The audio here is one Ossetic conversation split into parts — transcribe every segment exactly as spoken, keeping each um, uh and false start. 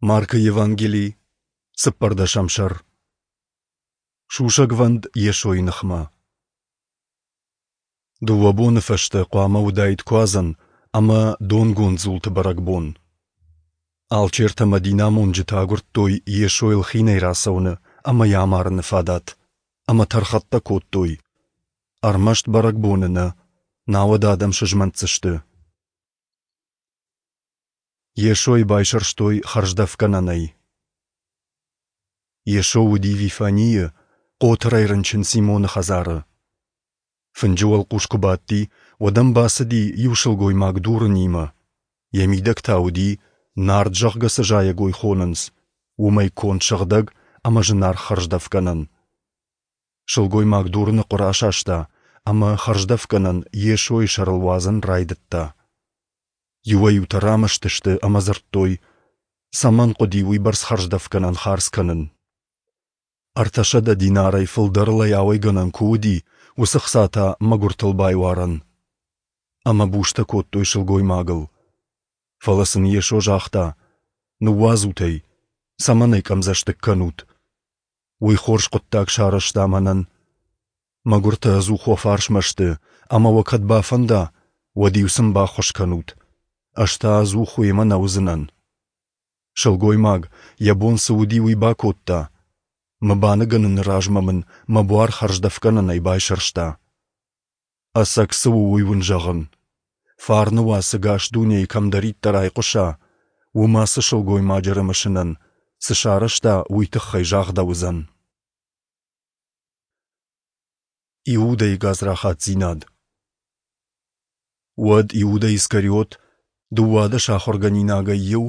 Маркы Евангели, цыппӕрдӕсӕм сӕр. Сусӕгвӕнд Йесойы ныхмӕ. Дыууӕ боны фӕстӕ хъуамӕ уыдаид Куадзӕн ӕмӕ донгонд дзулты бӕрӕгбон. Алчертӕ ӕмӕ динамонджытӕ агуырдтой Йесойыл хинӕй рацӕуыны ӕмӕ йӕ амарыны фадат, ӕмӕ тӕрхӕттӕ кодтой. Ӕрмӕст бӕрӕгбоны нӕ, науӕд адӕм сызмӕнтдзысты. Йесойы байсӕрстой хӕрздӕфгӕнӕнӕй. Йесо уыди Вифанийы, хъотырӕй рынчын Симоны хӕдзары. Фынджы уӕлхъус куы бадти, уӕд ӕм бацыди иу сылгоймаг дурынимӕ. Йӕ мидӕг та уыди, нард зӕгъгӕ цы зайӕгой хонынц, уымӕй конд сыгъдӕг ӕмӕ зынаргъ хӕрздӕфгӕнӕн. Сылгоймаг дурыны хъуыр асаста ӕмӕ хӕрздӕфгӕнӕн Йесойы сӕрыл уадзын райдыдта. Иуӕй-иутӕ рамӕсты сты ӕмӕ дзырдтой, цӕмӕн хъуыди уыйбӕрц хӕрздӕфгӕнӕн хардз кӕнын. Ӕртӕсӕдӕ динарӕй фылдӕрыл ӕй ауӕйгӕнӕн куы уыди, уыцы хца та мӕгуыртыл байуарӕн. Ӕмӕ бустӕ кодтой сылгоймагыл. Фӕлӕ сын Йесо загъта: Ныууадзут ӕй, цӕмӕн ӕй къӕмдзӕстыг кӕнут? Уый хорз хъуыддаг сарӕзта мӕнӕн. Мӕгуыртӕ ӕдзух уӕ фарсмӕ сты, ӕмӕ уӕ кӕд бафӕнда, уӕд-иу сын баххуыс кӕнут. Ӕз та ӕдзух уемӕ нӕ уыдзынӕн. Сылгоймаг, йӕ бон цы уыди, уый бакодта. Мӕ баныгӕныны размӕ мын мӕ буар хӕрздӕфгӕнӕнӕй байсӕрста. Ӕцӕг цы у, уый уын зӕгъын. Фарны уац ӕгас дунейы кӕмдӕриддӕр айхъуыса, уым ацы сылгоймаджы рымысынӕн, цы сарӕзта, уый тыххӕй загъдӕуыдзӕн. Иудӕйы гадзрахатдзинад. Уӕд Иудӕ Искариот, дыууадӕс ахуыргӕнинагӕй иу,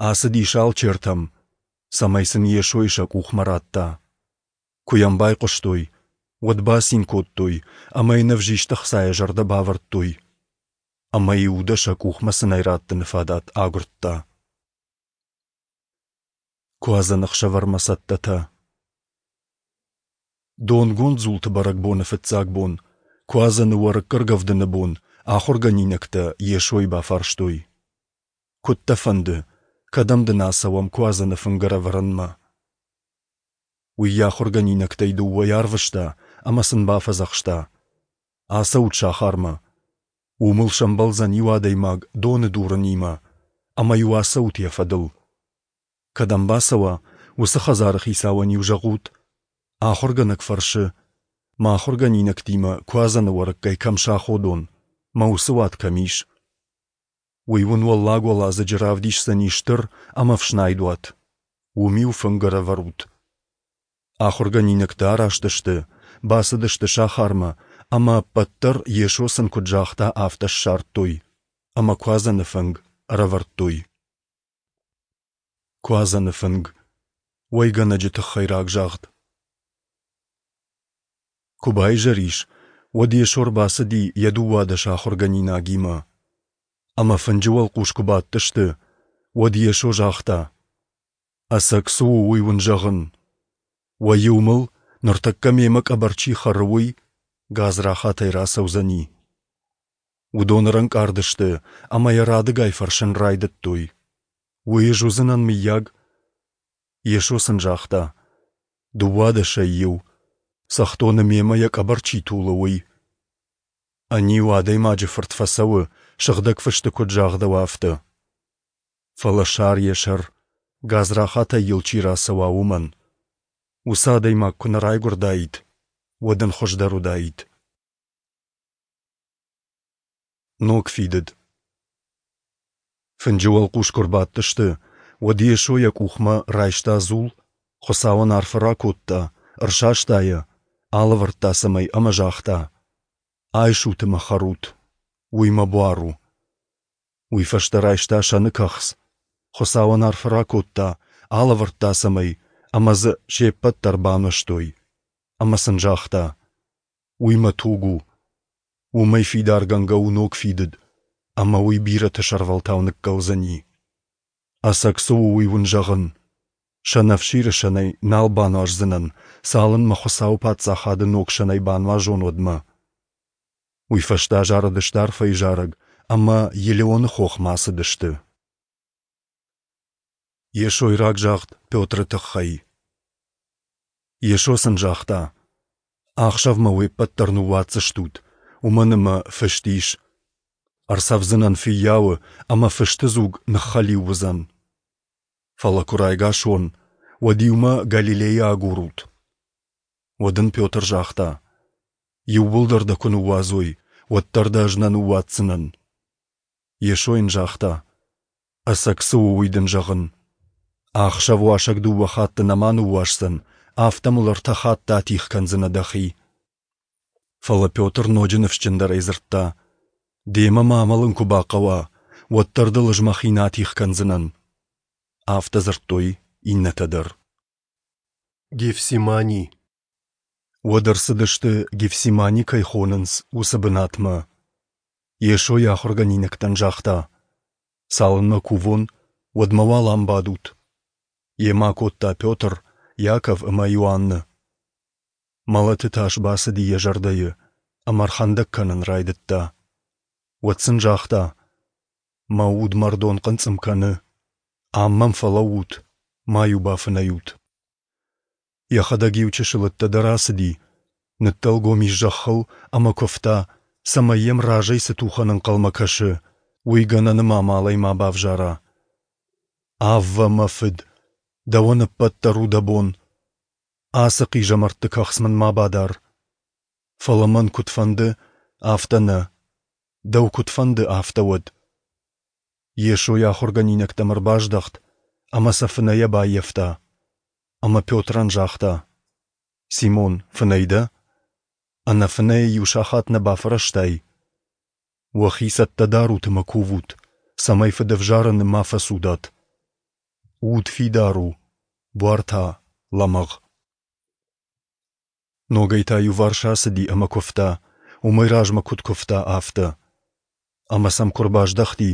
ацыдис алчертӕм, цӕмӕй сын Йесойы сӕ къухмӕ радта. Куы йӕм байхъуыстой, уӕд бацин кодтой ӕмӕ йын ӕвзист ӕхцайӕ зӕрдӕ бавӕрдтой. Ӕмӕ Иудӕ сӕ къухмӕ сын ӕй раттыны фадат агуырдта. Куадзӕны ӕхсӕвӕрмӕ цӕттӕтӕ. Донгонд дзулты бӕрӕгбоны фыццаг бон, Куадзӕны уӕрыкк ӕргӕвдыны бон, ахуыргӕнинӕгтӕ Йесойы бафарстой: Куыд дӕ фӕнды, кӕдӕм дын ацӕуӕм Куадзӕны фынг ӕрӕвӕрынмӕ? Уый йӕ ахуыргӕнинӕгтӕй дыууӕйы арвыста ӕмӕ сын бафӕдзӕхста: Ацӕут сахармӕ. Уым ыл сӕмбӕлдзӕн иу адӕймаг доны дурынимӕ, ӕмӕ-иу ацӕут йӕ фӕдыл. Кӕдӕм бацӕуа, уыцы хӕдзары хицауӕн-иу зӕгъут: Ахуыргӕнӕг фӕрсы, мӕ ахуыргӕнинӕгтимӕ Куадзӕны уӕрыккӕй кӕм саходон, мӕ уыцы уат кӕм ис? Уый уын уӕллаг уӕладзыджы равдисдзӕни стыр ӕмӕ ӕфснайд уат. Уым-иу фынг ӕрӕвӕрут. Ахуыргӕнинӕгтӕ араст сты, бацыдысты сахармӕ, ӕмӕ ӕппӕт дӕр, Йесо сын куыд загъта, афтӕ ссардтой, ӕмӕ Куадзӕны фынг ӕрӕвӕрдтой. Куадзӕны фынг. Уӕйгӕнӕджы тыххӕй рагзагъд. Куы баизӕр ис, уӕд Йесо ӕрбацыди йӕ дыууадӕс ахуыргӕнинагимӕ. Ӕмӕ фынджы уӕлхъус куы бадтысты, уӕд Йесо загъта: Ӕцӕг цы у, уый уын зӕгъын. Уӕ иу мыл, ныртӕккӕ мемӕ къӕбӕр чи хӕры, уый, гадзрахатӕй рацӕудзӕни. Уыдон ӕрӕнкъард сты ӕмӕ йӕ радыгай фӕрсын райдыдтой: Уый ӕз уыдзынӕн, мыййаг? Йесо сын загъта: Дыууадӕсӕй иу, цӕхдоны мемӕ йӕ къӕбӕр чи тулы, уый. Ӕниу Адӕймаджы Фырт фӕцӕуы, Сыгъдӕг Фысты куыд загъдӕуы, афтӕ. Фӕлӕ сар йӕ сӕр, гадзрахатӕй йыл чи рацӕуа, уымӕн. Уыцы адӕймаг куы нӕ райгуырдаид, уӕд ын хуыздӕр уыдаид. Ног фидыд. Фынджы уӕлхъус куы рбадтысты, уӕд Йесо йӕ къухмӕ райста дзул, Хуыцауӕн арфӕ ракодта, ӕрсаста йӕ, алӕвӕрдта сӕм ӕй ӕмӕ загъта: Айсут ӕмӕ хӕрут, уый мӕ буар у. Уый фӕстӕ райста сӕны кӕхц, Хуыцауӕн арфӕ ракодта, алӕвӕрдта сӕм ӕй, ӕмӕ дзы се ппӕт дӕр бануӕзтой. Ӕмӕ сын загъта: Уый мӕ туг у. Уымӕй фидаргӕнгӕ у ног фидыд, ӕмӕ уый бирӕты сӕрвӕлтау ныккӕлдзӕни. Ӕцӕг цы у, уый уын зӕгъын. Сӕнӕфсиры сӕнӕй нал бануаздзынӕн, цалынмӕ Хуыцауы паддзахады ног сӕнӕй бануазон, уӕдмӕ. Уый фӕстӕ зарыдысты арфӕйы зарӕг ӕмӕ Елеоны хохмӕ ацыдысты. Йесойы рагзагъд Петры тыххӕй. Йесо сын загъта: Ахсӕв мӕ уе ппӕт дӕр ныууадздзыстут, уымӕн ӕмӕ фыст ис: Ӕрцӕвдзынӕн фыййауы, ӕмӕ фысты дзуг ныххӕлиу уыдзӕн. Фӕлӕ куы райгас уон, уӕд-иу мӕ Галилейы агурут. Уӕд ын Петр загъта: Иууылдӕр дӕ куы ныууадзой, уӕддӕр дӕ ӕз нӕ ныууадздзынӕн. Йесо йын загъта: Ӕцӕг цы у, уый дын зӕгъын. Ӕхсӕв уасӕг дыууӕ хатты нӕма ныууасдзӕн, афтӕ мыл ӕртӕ хатты атигъ кӕндзынӕ дӕхи. Фӕлӕ Петр ноджы ныфсджындӕрӕй дзырдта: Демӕ ма амӕлын куы бахъӕуа, уӕддӕр дыл ӕз мӕхи нӕ атигъ кӕндзынӕн. Афтӕ дзырдтой иннӕтӕ дӕр. Гефсимани. Уӕд ӕрцыдысты, Гефсимани кӕй хонынц, уыцы бынатмӕ. Йесо йӕ ахуыргӕнинӕгтӕн загъта: Цалынмӕ кувон, уӕдмӕ уал ам бадут. Йемӕ акодта Петр, Иаков ӕмӕ Иоанны. Мӕлӕты тас бацыди йӕ зӕрдӕйы, ӕмӕ ӕрхӕндӕг кӕнын райдыдта. Уӕд сын загъта: Мӕ уд мӕрдон хъынцъым кӕны. Ам мӕм фӕлӕуут, ма-иу бафынӕй ут. Йӕхӕдӕг иу чысыл ӕддӕдӕр ацыди, ныддӕлгом ис зӕххыл ӕмӕ куывта, цӕмӕй йӕм разӕй цы тухӕн ӕнхъӕлмӕ кӕсы, уый гӕнӕны ма амалӕй ма бавзара. Аввӕ, мӕ фыд, дӕуӕн ӕппӕт дӕр у дӕ бон. Ацы хъизӕмӕртты кӕхц мын ма бадар. Фӕлӕ мӕн куыд фӕнды, афтӕ нӕ. Дӕу куыд фӕнды, афтӕ уӕд. Йесо йӕ ахуыргӕнинӕгтӕм ӕрбаздӕхт ӕмӕ сӕ фынӕйӕ баййӕфта. Ӕмӕ Петрӕн загъта: Симон, фынӕй дӕ? Ӕнӕфынӕйӕ иу сахат нӕ бафӕрӕзтай? Уӕхи цӕттӕ дарут ӕмӕ кувут, цӕмӕй фыдӕвзарӕны ма фӕцудат. Уд фидар у, буар та лӕмӕгъ. Ногӕй та иуварс ацыди ӕмӕ куывта, уымӕй размӕ куыд куывта, афтӕ. Ӕмӕ сӕм куы ӕрбаздӕхти,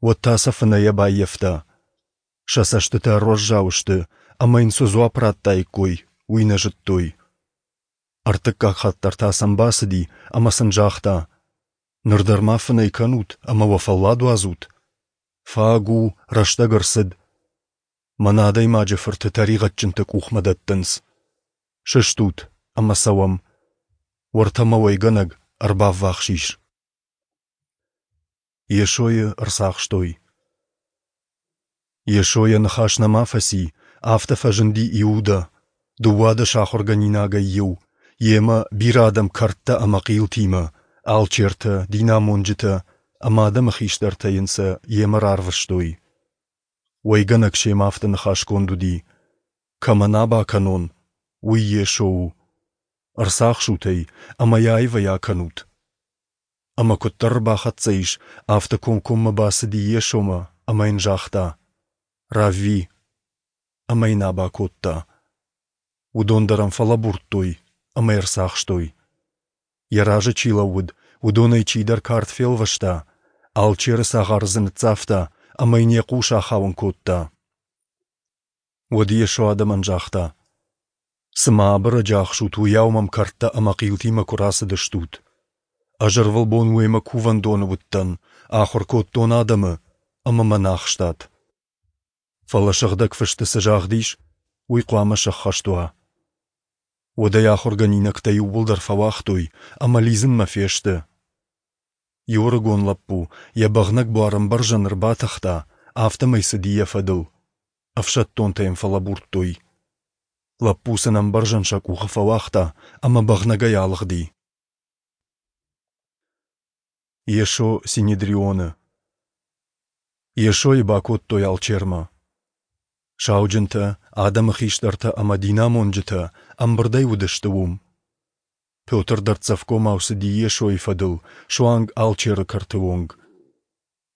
уӕд та сӕ фынӕйӕ баййӕфта. Сӕ цӕстытӕ ӕруӕззау сты, ӕмӕ йын цы дзуапп радтаиккой, уый нӕ зыдтой. Ӕртыккаг хатт дӕр та сӕм бацыди ӕмӕ сын загъта: Ныр дӕр ма фынӕй кӕнут ӕмӕ уӕ фӕллад уадзут? Фаг у, рӕстӕг ӕрцыд. Мӕн Адӕймаджы Фырты тӕригъӕдджынты къухмӕ дӕттынц. Сыстут ӕмӕ цӕуӕм. Уӕртӕ мӕ уӕйгӕнӕг ӕрбаввахс ис. Йесойы ӕрцахстой. Йесо йӕ ныхас нӕма фӕци, афтӕ фӕзынди Иудӕ, дыууадӕс ахуыргӕнинагӕй иу, йемӕ бирӕ адӕм кӕрдтӕ ӕмӕ хъилтимӕ, алчертӕ, динамонджытӕ ӕмӕ адӕмы хистӕртӕ йын сӕ йемӕ рарвыстой. Уӕйгӕнӕг семӕ афтӕ ныхасгонд уыди: Кӕмӕн аба кӕнон, уый Йесо у. Ӕрцахсут ӕй ӕмӕ йӕ аивӕй акӕнут. Ӕмӕ куыддӕр ӕрбахӕццӕ ис, афтӕ комкоммӕ бацыди Йесомӕ ӕмӕ йын загъта: Равви! Ӕмӕ йын аба кодта. Уыдон дӕр ӕм фӕлӕбурдтой ӕмӕ йӕ ӕрцахстой. Йӕ разы чи лӕууыд, уыдонӕй чидӕр кард фелвӕста, алчеры цагъары дзы ныццавта ӕмӕ йын йӕ хъус ахауын кодта. Уӕд Йесо адӕмӕн загъта: Цыма абырӕджы ахсут, уыйау мӕм кӕрдтӕ ӕмӕ хъилтимӕ куы рацыдыстут. Ӕз ӕрвылбон уемӕ кувӕндоны уыдтӕн, ахуыр кодтон адӕмы, ӕмӕ мӕ нӕ ахстат. Фӕлӕ Сыгъдӕг Фысты цы загъд ис, уый хъуамӕ сӕххӕст уа. Уӕд ӕй ахуыргӕнинӕгтӕ иууылдӕр фӕуагътой ӕмӕ лидзынмӕ фесты. Иу ӕрыгон лӕппу йӕ бӕгънӕг буар ӕмбӕрзӕн ӕрбатыхта, афтӕмӕй цыди йӕ фӕдыл. Ӕфсӕддонтӕ йӕм фӕлӕбурдтой. Лӕппу сын ӕмбӕрзӕн сӕ къухы фӕуагъта ӕмӕ бӕгънӕгӕй алыгъди. Йесо Синедрионы. Йесойы бакодтой алчермӕ. Сауджынтӕ, адӕмы хистӕртӕ ӕмӕ динамонджытӕ ӕмбырдӕй уыдысты уым. Петр дӕрддзӕфгомау цыди Йесойы фӕдыл, суанг алчеры кӕрты онг.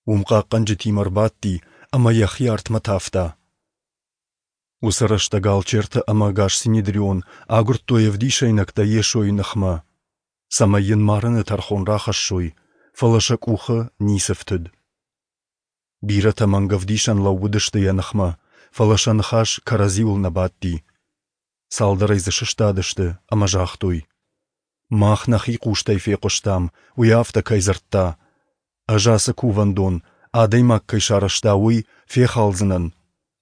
Уым хъахъхъӕнджытимӕ ӕрбадти ӕмӕ йӕхи артмӕ тавта. Уыцы рӕстӕг алчертӕ ӕмӕ ӕгас Синедрион агуырдтой ӕвдисӕйнӕгтӕ Йесойы ныхмӕ, цӕмӕй йын марыны тӕрхон рахӕссой, фӕлӕ сӕ къухы ницы фтыд. Бирӕтӕ мӕнгӕвдисӕн лӕууыдысты йӕ ныхмӕ, фӕлӕ сӕ ныхас кӕрӕдзиуыл нӕ бадти. Цалдӕрӕй дзы сыстадысты ӕмӕ загътой: Мах нӕхи хъустӕй фехъуыстам, уый афтӕ кӕй дзырдта: Ӕз ацы кувӕндон, адӕймаг кӕй сарӕзта, уый, фехалдзынӕн,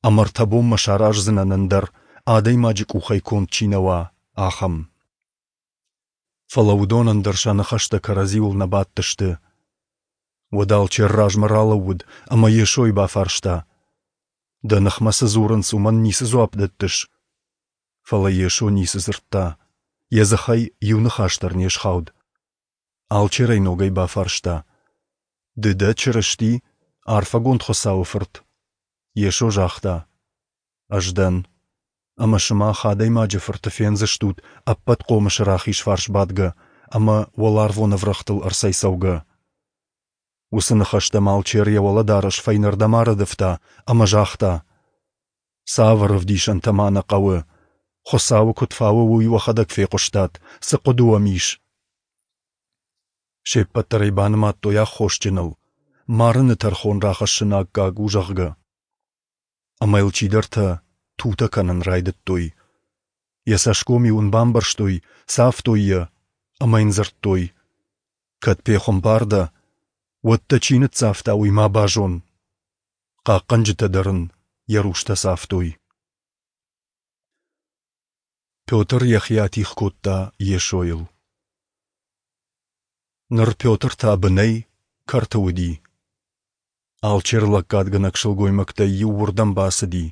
Ӕмӕ ӕртӕ бонмӕ сараздзынӕн ӕндӕр, адӕймаджы къухӕй конд чи нӕ уа, ахӕм. Фӕлӕ уыдонӕн дӕр сӕ ныхӕстӕ кӕрӕдзиуыл нӕ бадтысты. Уӕд алчер размӕ ралӕууыд ӕмӕ Йесойы бафарста: Дӕ ныхмӕ цы дзурынц, уымӕн ницы дзуапп дӕттыс? Фӕлӕ Йесо ницы дзырдта, йӕ дзыхӕй иу ныхас дӕр не схауд. Алчер ӕй ногӕй бафарста: Ды дӕ Чырысти, арфӕгонд Хуыцауы Фырт? Йесо загъта: Ӕз дӕн. Ӕмӕ сымах Адӕймаджы Фырты фендзыстут Ӕппӕтхъомысы рахиз фарс бадгӕ ӕмӕ уӕларвон ӕврӕгътыл ӕрцӕйцӕугӕ. Уыцы ныхӕстӕм алчер йӕ уӕлӕдарӕс фӕйнӕрдӕм арӕдывта ӕмӕ загъта: Цавӕр ӕвдисӕнтӕ ма нӕ хъӕуы? Хуыцауы куыд фауы, уый уӕхӕдӕг фехъуыстат, цы хъуыды уӕм ис? Се ппӕт дӕр ӕй банымадтой аххосджыныл, марыны тӕрхон рахӕссыны аккаг у, зӕгъгӕ. Ӕмӕ йыл чидӕртӕ тутӕ кӕнын райдыдтой. Йӕ цӕсгом-иу ын бамбӕрзтой, цавтой йӕ ӕмӕ йын дзырдтой: Кӕд пехуымпар дӕ, уӕд дӕ чи ныццавта, уый ма базон. Хъахъхъӕнджытӕ дӕр ын йӕ рустӕ цавтой. Петр йӕхи атигъ кодта Йесойыл. Ныр Петр та бынӕй, кӕрты уыди. Алчер лӕггадгӕнӕг сылгоймӕгтӕй иу уырдӕм бацыди.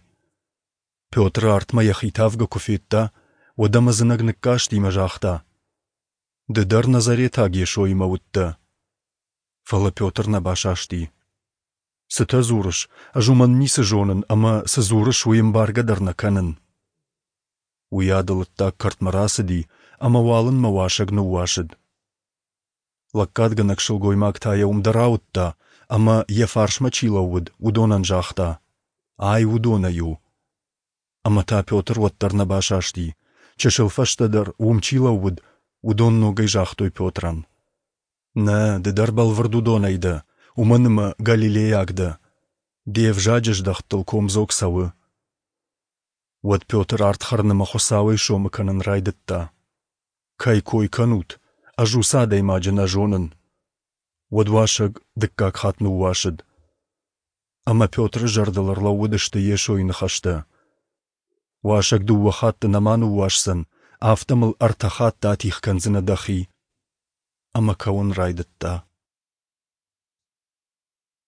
Петры артмӕ йӕхи тавгӕ куы федта, уӕд ӕм ӕдзынӕг ныккасти ӕмӕ загъта: Ды дӕр назаретаг Йесоимӕ уыдтӕ. Фӕлӕ Петр нӕ басасти. Цытӕ дзурыс, ӕз уымӕн ницы зонын ӕмӕ, цы дзурыс, уый ӕмбаргӕ дӕр нӕ кӕнын. Уыйадыл ӕддаг кӕртмӕ рацыди, ӕмӕ уалынмӕ уасӕг ныууасыд. Лӕггадгӕнӕг сылгоймаг та йӕ уым дӕр ауыдта ӕмӕ, йӕ фарсмӕ чи лӕууыд, уыдонӕн загъта: Ай уыдонӕй у. Ӕмӕ та Петр уӕддӕр нӕ басасти. Чысыл фӕстӕдӕр, уым чи лӕууыд, уыдон ногӕй загътой Петрӕн: Нӕ, ды дӕр бӕлвырд уыдонӕй дӕ, уымӕн ӕмӕ галилейаг дӕ. Де взаджы здӕхтыл комдзог цӕуы. Уӕд Петр ард хӕрын ӕмӕ Хуыцауӕй сомы кӕнын райдыдта: Кӕй кой кӕнут, ӕз уыцы адӕймаджы нӕ зонын. Уӕд уасӕг дыккаг хатт ныууасыд. Ӕмӕ Петры зӕрдыл ӕрлӕууыдысты Йесойы ныхӕстӕ: Уасӕг дыууӕ хатты нӕма ныууасдзӕн, афтӕ мыл ӕртӕ хатты атигъ кӕндзынӕ дӕхи. Ӕмӕ кӕуын райдыдта.